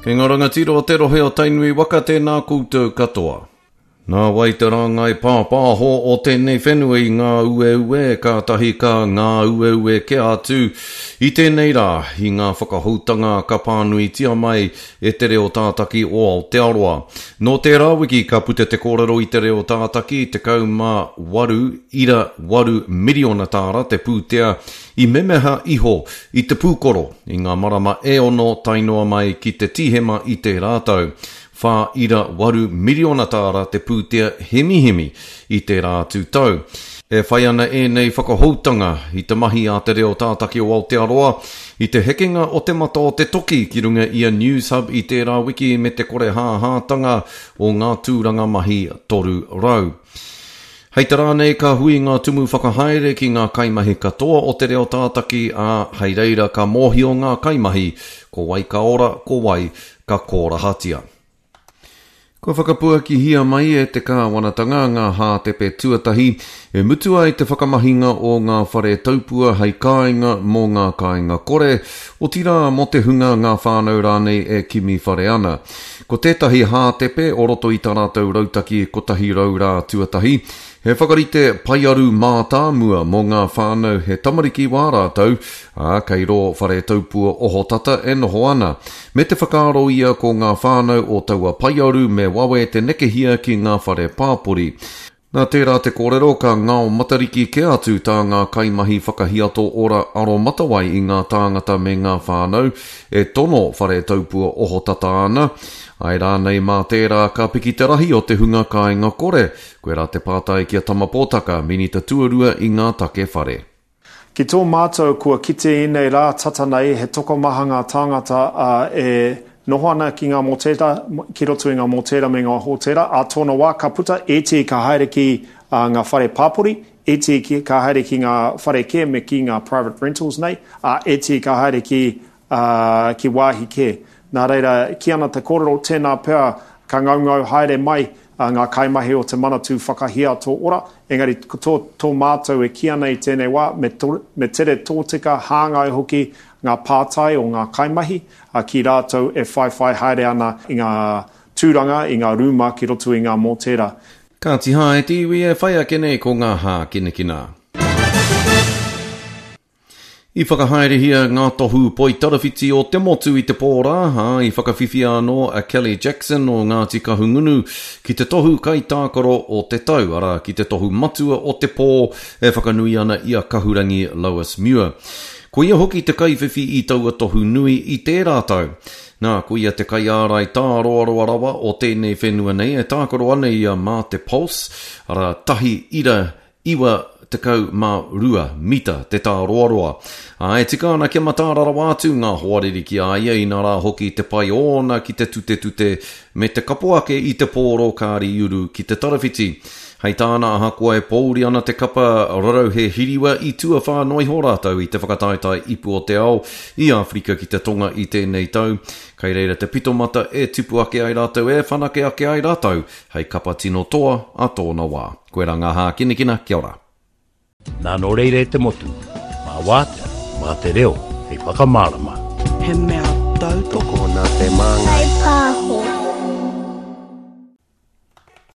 Kei ngā rangatira o te rohe o Tainui waka tēnā koutou katoa. Nā wai te rāngai pāpāho o tēnei whenua i ngāueue, kātahi ka ngāueue kē atu i tēnei rā i ngā whakahoutanga ka pānuitia mai e Te Reo Tātaki o Aotearoa. Nō tērā wiki ka puta te kōrero i Te Reo Tātaki, 18.8 miriona tāra te pūtea i memeha iho i te pūkoro i ngā marama e ono tae noa mai ki te Tīhema i tērā tau. 4.8 miriona tāra te pūtea hemihemi i tērā atu tau. E whai ana ēnei whakahoutanga i te mahi a Te Reo Tātaki o Aotearoa i te hekenga o te mata o te toki ki runga i a Newshub i tērā wiki me te korehāhātanga o ngā tūranga mahi 300. Hei te rā nei ka hui ngā tumu whakahaere ki ngā kaimahi katoa o Te Reo Tātaki, ā, hei reira ka mōhio ngā kaimahi ko wai ka ora, ko wai ka kōrahatia. Kua whakapuakihia mai e te kāwanatanga ngā hātepe tuatahi e mutu ai te whakamahinga o ngā whare taupua hei kāinga mō ngā kāinga kore, otirā mō te hunga ngā whānau rānei e kimi whare ana. Ko tētahi hātepe o roto i tā rātou rautaki 100 rā tuatahi, he whakarite paearu mātāmua mō ngā whānau he tamariki wā rātou, ā, kei rō whare taupua ohotata e noho ana. Me te whakaaro ia ko ngā whānau o taua paearu me wawe te nekehia ki ngā whare pāpori. Nā tērā te kōrero ka ngao matariki kē atu tā ngā kaimahi whakahiato ora aromatawai i ngā tāngata me ngā whānau e tono whare taupua ohotata ana. Āe rānei mā tērā ka piki te rahi o te hunga kāinga kore? Koirā te pātai ki a Tama Pōtaka, Minita Tuarua i ngā take whare. Ki tō mātou kua kite ēnei rā tata nei he tokomaha ngā tāngata e noho ana ki ngā mōtēra, ki roto i ngā mōtēra me ngā hōtēra, ā tōna wā ka puta, ētehi ka haere ki ngā whare pāpori, ētehi ka haere ki ngā whare kē me ki ngā private rentals nei, ā, ētehi ka haere ki ā, ki wāhi kē. Nā reira, kī ana te kōrero, tēnā pea ka ngaungau haere mai ngā kaimahi o te Manatū Whakahiato Ora, engari ko tō, tō mātou e kī ana i tēnei wā, me, me tere tōtika, hāngai hoki ngā pātai o ngā kaimahi ki rātou e whaiwhai haere ana i ngā tūranga, i ngā rūma ki roto i ngā mōtēra. Kāti hā e te iwi e whai ake nei ko ngā hākinakina. I whakahaerehia ngā tohu poitarawhiti o te motu i te pō rā, ā, i whakawhiwhia anō a Kelly Jackson o Ngāti Kahungunu ki te tohu kaitākaro o te tau, arā, ki te tohu matua o te pō e whakanui ana i a Kahurangi Lois Muir. Ko ia hoki te kaiwhiwhi i taua tohu nui i tērā tau. Nā, ko ia te kaiārai tāroaroa rawa o tēnei whenua nei e tākaro ana ia mā te Pulse, arā, tahi ira 92 mita te tāroaroa. Ā, e tika ana kia mataara rawa atu ngā hoariri ki a ia, inā rā hoki te pai ōna ki te tutetute me te kapo ake i te pōro kāriuru ki te tarawhiti. Hei tāna, ahakoa e pōuri ana te kapa rarauhe hiriwa i tuawhā noa iho rātou i te whakataetae Ipu o te Ao i Āwherika ki te Tonga i tēnei tau, kei reira te pitomata e tipu ake ai rātou, e whanake ake ai rātou hei kapa tino toa a tōna wā. Koirā ngā hākinakina, kia ora. Nā nō reira e te motu, mā Wātea, mā te reo hei whakamārama. He mea tautoko. Tokona te māngai. Whai pāho.